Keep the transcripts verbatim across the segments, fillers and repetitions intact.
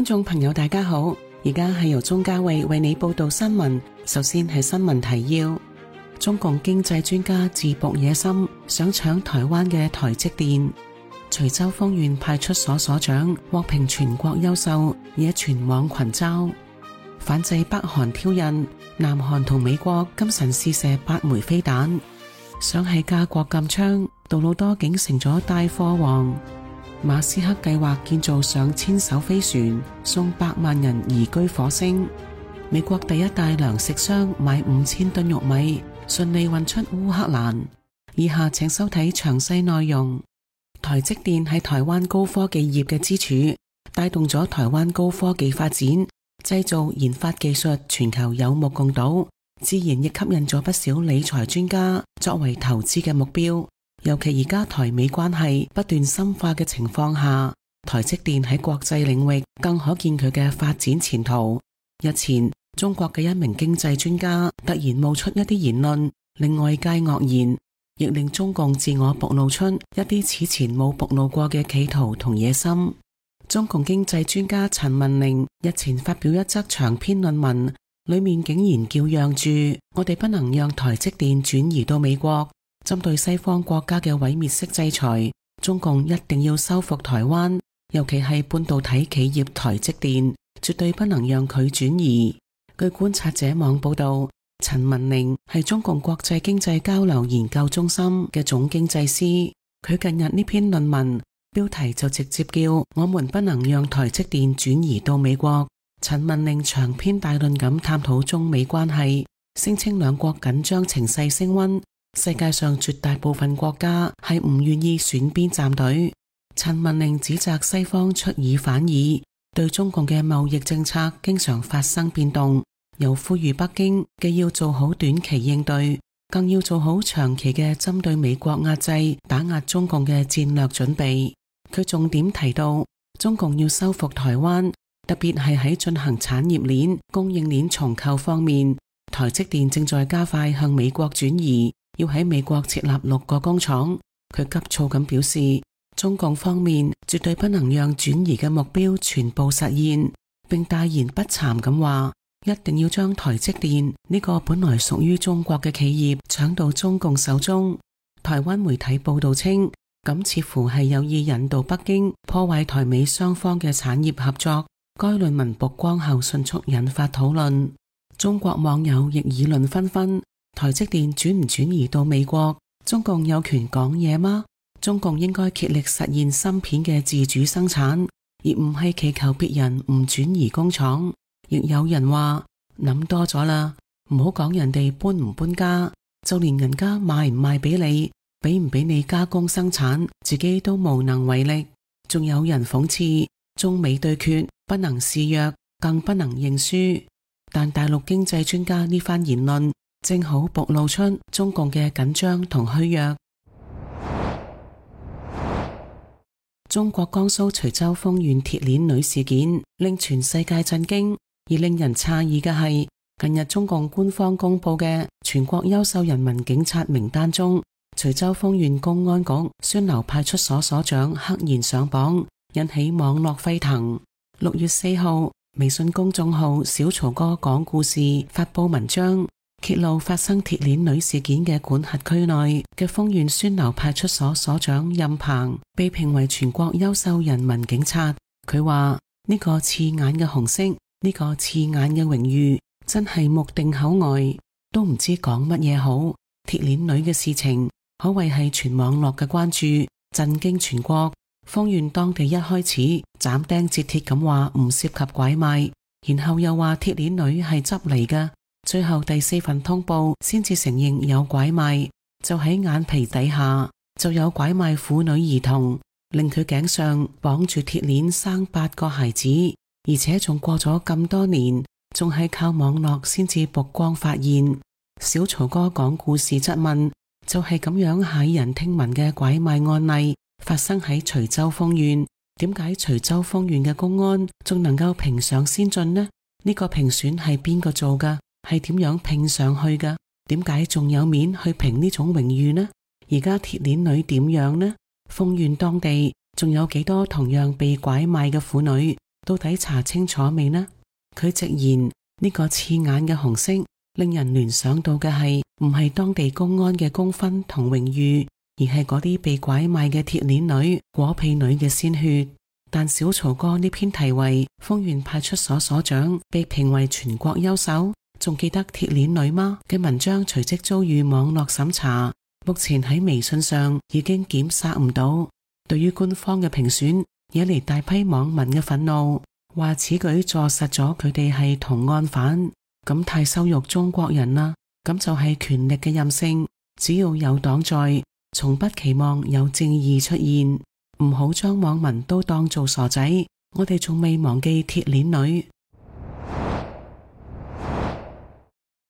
觀眾朋友大家好，而家係由鍾嘉慧為你報道新聞。首先係新聞提要：中共經濟專家自曝野心，想搶台灣嘅台積電。徐州豐縣派出所所長獲評全國優秀，惹全網群嘲。反制北韓挑釁，南韓同美國今晨試射八枚飛彈。想係加國禁槍，杜魯多竟成咗帶貨王。馬斯克計劃建造上千艘飛船，送百萬人移居火星。美國第一大糧食商買五千噸玉米，順利運出烏克蘭。以下請收睇詳細內容。台積電係台灣高科技業嘅支柱，帶動咗台灣高科技發展，製造研發技術全球有目共睹，自然亦吸引咗不少理財專家作為投資嘅目標。尤其而家台美關係不斷深化嘅情況下，台積電喺國際領域更可見佢嘅發展前途。日前，中國嘅一名經濟專家突然冒出一啲言論，令外界愕然，亦令中共自我暴露出一啲此前冇暴露過嘅企圖同野心。中共經濟專家陳文玲日前發表一則長篇論文，裏面竟然叫嚷住我哋不能讓台積電轉移到美國。針對西方國家嘅毀滅式制裁，中共一定要收復台灣，尤其係半導體企業台積電，絕對不能讓佢轉移。據觀察者網報道，陳文玲係中共國際經濟交流研究中心嘅總經濟師，佢近日呢篇論文標題就直接叫我們不能讓台積電轉移到美國。陳文玲長篇大論咁探討中美關係，聲稱兩國緊張情勢升溫，世界上絕大部分國家係唔願意選邊站隊。陳文玲指責西方出爾反爾，對中共嘅貿易政策經常發生變動，又呼籲北京既要做好短期應對，更要做好長期嘅針對美國壓制、打壓中共嘅戰略準備。佢重點提到，中共要收復台灣，特別係喺進行產業鏈、供應鏈重構方面，台積電正在加快向美國轉移，要喺美國設立六個工廠。佢急躁咁表示，中共方面絕對不能讓轉移嘅目標全部實現，並大言不慚咁話，一定要將台積電呢個本來屬於中國嘅企業搶到中共手中。台灣媒體報道稱，咁似乎係有意引導北京破壞台美雙方嘅產業合作。該論文曝光後迅速引發討論，中國網友亦議論紛紛。台積電轉唔轉移到美國，中共有權講嘢嗎？中共應該竭力實現芯片嘅自主生產，而唔係祈求別人唔轉移工廠。亦有人話諗多咗啦，唔好講人哋搬唔搬家，就連人家賣唔賣俾你，俾唔俾你加工生產，自己都無能為力。仲有人諷刺中美對決不能示弱，更不能認輸。但大陸經濟專家呢番言論正好暴露出中共嘅緊張同虛弱。中國江蘇徐州豐縣鐵鏈女事件令全世界震驚，而令人詫異嘅係，近日中共官方公布嘅全國優秀人民警察名單中，徐州豐縣公安局宣流派出所所長赫然上榜，引起網絡沸騰。六月四號，微信公眾號小曹哥講故事發佈文章，揭露發生鐵鏈女事件嘅管轄區內嘅豐縣宣流派出所所長任鵬被評為全國優秀人民警察。佢話呢個刺眼嘅紅色，呢個刺眼嘅榮譽，真係目定口呆，都唔知講乜嘢好。鐵鏈女嘅事情可謂係全網絡嘅關注，震驚全國。豐縣當地一開始斬釘截鐵咁話唔涉及拐賣，然後又話鐵鏈女係執嚟嘅，最後第四份通報先至承認有拐賣，就喺眼皮底下就有拐賣婦女兒童，令佢頸上綁住鐵鏈生八個孩子，而且仲過咗咁多年，仲係靠網絡先至曝光發現。小曹哥講故事質問，就係咁樣駭人聽聞嘅拐賣案例發生喺徐州豐縣，點解徐州豐縣嘅公安仲能夠評上先進呢？呢個評選係邊個做噶？係點樣評上去噶？點解仲有面去評呢種榮譽呢？而家鐵鏈女點樣呢？豐縣當地仲有幾多同樣被拐賣嘅婦女？到底查清楚未呢？佢直言呢個刺眼嘅紅色令人聯想到嘅係唔係當地公安嘅功勳同榮譽，而係嗰啲被拐賣嘅鐵鏈女、果皮女嘅鮮血。但小曹哥呢篇題為豐原派出所所長被評為全國優秀，仲記得鐵鏈女嗎嘅文章隨即遭遇網絡審查，目前喺微信上已經檢索唔到。對於官方嘅評選，惹嚟大批網民嘅憤怒，話此舉坐實咗佢哋係同案犯，咁太羞辱中國人啦。咁就係權力嘅任性，只要有黨在，從不期望有正義出現。唔好將網民都當做傻仔，我哋仲未忘記鐵鏈女。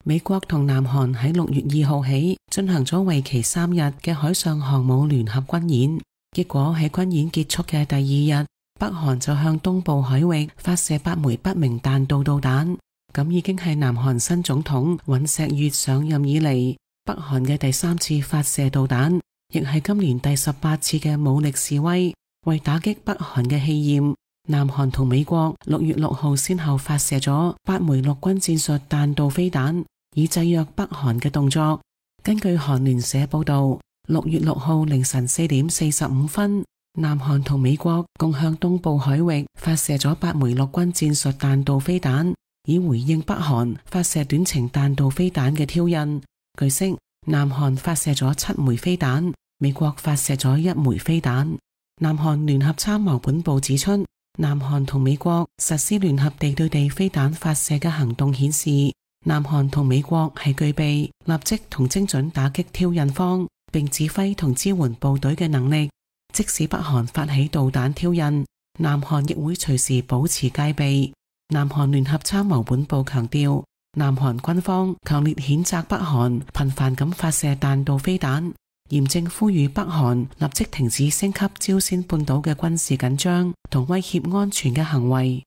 美國同南韓喺六月二號起進行咗為期三日嘅海上航母聯合軍演，結果喺軍演結束嘅第二日，北韓就向東部海域發射八枚不明彈道導彈，咁已經係南韓新總統尹錫悅上任以嚟北韓嘅第三次發射導彈，亦係今年第十八次嘅武力示威。為打擊北韓嘅氣焰，南韓同美國六月六號先後發射咗八枚陸軍戰術彈道飛彈，以制約北韓嘅動作。根據韓聯社報道，六月六號凌晨四點四十五分，南韓同美國共向東部海域發射咗八枚陸軍戰術彈道飛彈，以回應北韓發射短程彈道飛彈嘅挑釁。據悉，南韓發射咗七枚飛彈，美國發射咗一枚飛彈。南韓聯合參謀本部指出，南韓同美國實施聯合地對地飛彈發射嘅行動顯示，南韓同美國係具備立即同精準打擊挑釁方，並指揮同支援部隊嘅能力。即使北韓發起導彈挑釁，南韓亦會隨時保持戒備。南韓聯合參謀本部強調，南韓軍方強烈譴責北韓頻繁咁發射彈道飛彈，嚴正呼籲北韓立即停止升級朝鮮半島嘅軍事緊張同威脅安全嘅行為。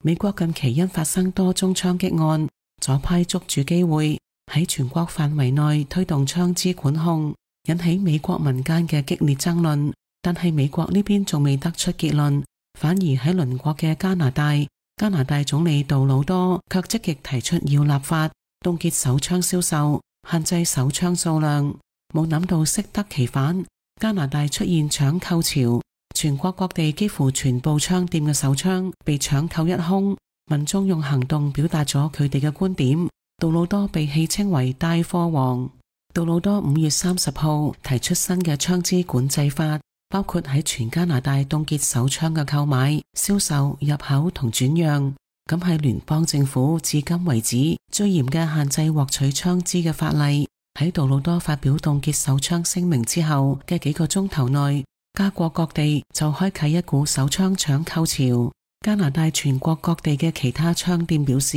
美國近期因發生多宗槍擊案，左派捉住機會喺全國範圍內推動槍支管控，引起美國民間嘅激烈爭論。但係美國呢邊仲未得出結論，反而喺鄰國嘅加拿大，加拿大總理杜魯多卻積極提出要立法凍結手槍銷售，限制手槍數量。冇諗到適得其反，加拿大出現搶購潮，全國各地幾乎全部槍店嘅手槍被搶購一空。民眾用行動表達咗佢哋嘅觀點。杜魯多被戲稱為帶貨王。杜魯多五月三十號提出新嘅槍支管制法，包括喺全加拿大凍結手槍嘅購買、銷售、入口同轉讓。咁係聯邦政府至今為止最嚴嘅限制獲取槍支嘅法例。喺杜魯多發表凍結手槍聲明之後嘅幾個鐘頭內，加國各地就開啟一股手槍搶購潮。加拿大全國各地嘅其他槍店表示，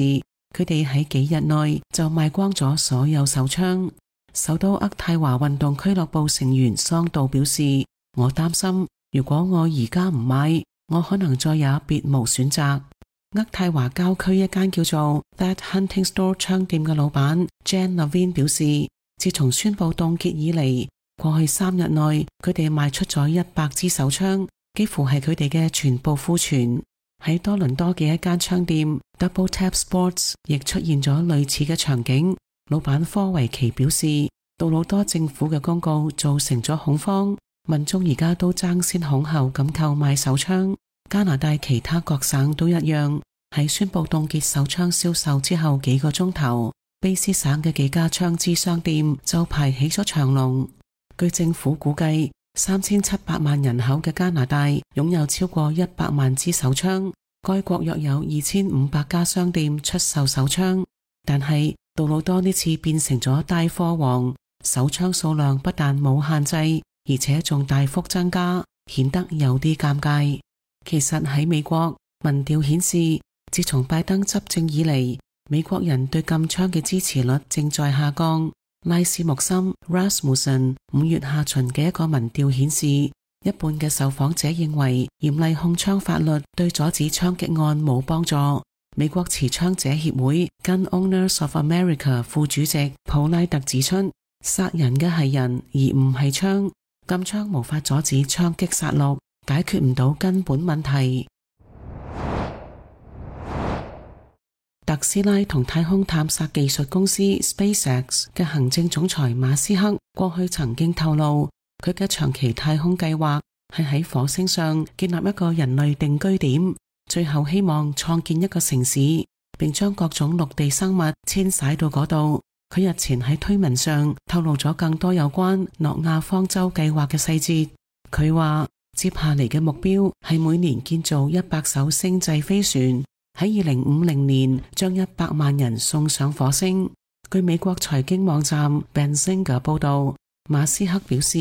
佢哋喺幾日內就賣光咗所有手槍。首都渥太華運動俱樂部成員桑道表示，我擔心如果我而家唔買，我可能再也別無選擇。渥太華郊區一間叫做 That Hunting Store 槍店嘅老闆 Jan Levine 表示，自從宣布凍結以嚟，過去三日內佢哋賣出咗一百支手槍，幾乎係佢哋嘅全部庫存。喺多倫多嘅一間槍店 Double Tap Sports 亦出現咗類似嘅場景。老闆科維奇表示，杜魯多政府嘅公告造成咗恐慌，民眾而家都爭先恐後咁購買手槍。加拿大其他各省都一樣，喺宣布凍結手槍銷售之後幾個鐘頭，卑斯省嘅幾家槍支商店就排起咗長龍。據政府估計，三千七百萬人口嘅加拿大擁有超過一百萬支手槍，該國約有二千五百家商店出售手槍。但係杜魯多呢次變成咗帶貨王，手槍數量不但冇限制，而且仲大幅增加，顯得有啲尷尬。其實喺美國，民調顯示，自從拜登執政以嚟，美國人對禁槍嘅支持率正在下降。拉斯穆森 Rasmussen 五月下旬嘅一個民調顯示，一半嘅受訪者認為嚴厲控槍法律對阻止槍擊案冇幫助。美國持槍者協會 Gun Owners of America 副主席普拉特指出，殺人嘅係人而唔係槍，禁槍無法阻止槍擊殺戮，解決唔到根本問題。特斯拉同太空探索技術公司 SpaceX 嘅行政總裁馬斯克過去曾經透露，佢嘅長期太空計劃係喺火星上建立一個人類定居點，最後希望創建一個城市，並將各種陸地生物遷徙到嗰度。佢日前喺推文上透露咗更多有關諾亞方舟計劃嘅細節。佢話接下嚟嘅目標係每年建造一百艘星際飛船，喺二零五零年將一百萬人送上火星。據美國財經網站 Benzinga 報道，馬斯克表示，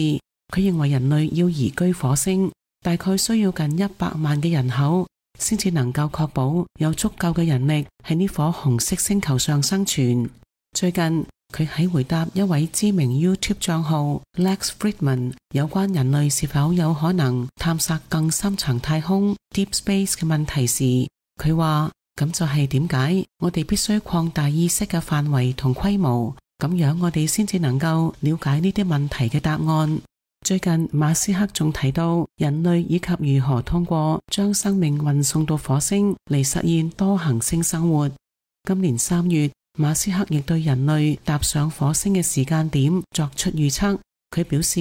佢認為人類要移居火星，大概需要近一百萬嘅人口，先至能夠確保有足夠嘅人力喺呢顆紅色星球上生存。最近佢喺回答一位知名 YouTube 賬號 Lex Fridman 有關人類是否有可能探索更深層太空 Deep Space 嘅問題時，佢話咁就係點解我哋必須擴大意識嘅範圍同規模，咁樣我哋先至能夠了解呢啲問題嘅答案。最近馬斯克仲提到人類以及如何通過將生命運送到火星嚟實現多行星生活。今年三月，馬斯克亦對人類踏上火星嘅時間點作出預測。佢表示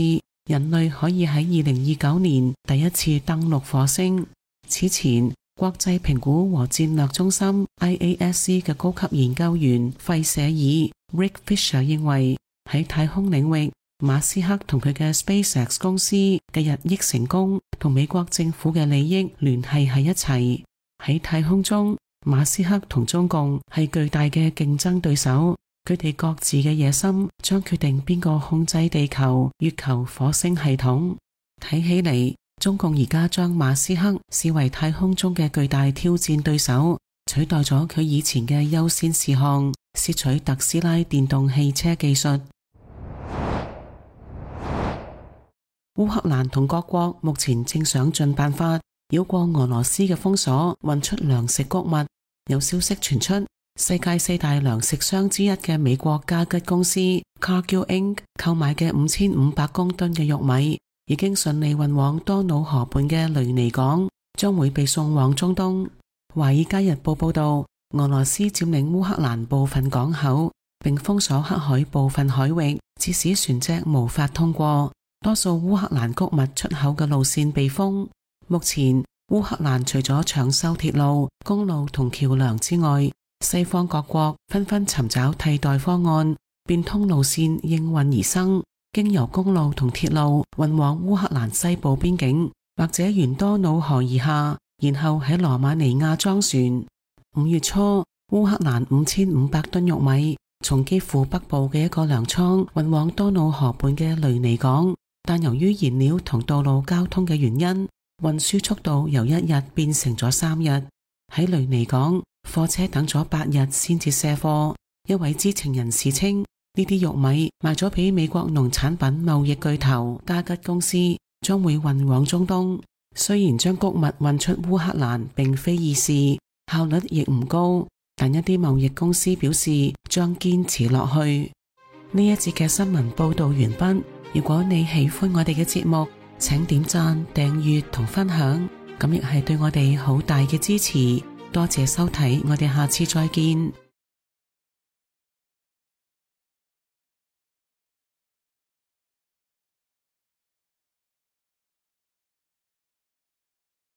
人類可以喺二零二九年第一次登陸火星。此前，國際評估和戰略中心 I A S C 嘅高級研究員費舍爾 Rick Fisher 認為，喺太空領域，馬斯克同佢嘅 SpaceX 公司嘅日益成功同美國政府嘅利益聯繫喺一齊。喺太空中，馬斯克同中共係巨大嘅競爭對手，佢哋各自嘅野心將決定邊個控制地球、月球、火星系統。睇起嚟，中共而家將馬斯克視為太空中嘅巨大挑戰對手，取代咗佢以前嘅優先事項，竊取特斯拉電動汽車技術。烏克蘭同各國目前正想盡辦法繞過俄羅斯嘅封鎖，運出糧食穀物。有消息傳出，世界四大糧食商之一嘅美國加吉公司 Cargill Incorporated 購買嘅五千五百公噸嘅玉米，已經順利運往多瑙河畔嘅雷尼港，將會被送往中東。華爾街日報報道，俄羅斯佔領烏克蘭部分港口，並封鎖黑海部分海域，致使船隻無法通過。多數烏克蘭穀物出口嘅路線被封。目前烏克蘭除咗搶修鐵路、公路同橋樑之外，西方各國紛紛尋找替代方案，變通路線應運而生，經由公路同鐵路運往烏克蘭西部邊境，或者沿多瑙河而下，然後喺羅馬尼亞裝船。五月初，烏克蘭五千五百噸玉米從基輔北部嘅一個糧倉運往多瑙河畔嘅雷尼港。但由於燃料同道路交通嘅原因，運輸速度由一日變成咗三日。喺雷尼港，貨車等咗八日先至卸貨。一位知情人士稱，呢啲玉米賣咗俾美國農產品貿易巨頭加吉公司，將會運往中東。雖然將穀物運出烏克蘭並非易事，效率亦唔高，但一啲貿易公司表示將堅持落去。呢一節嘅新聞報道完畢。如果你喜歡我哋嘅節目，請點讚、訂閱同分享，咁亦係對我哋好大嘅支持。多謝收睇，我哋下次再見。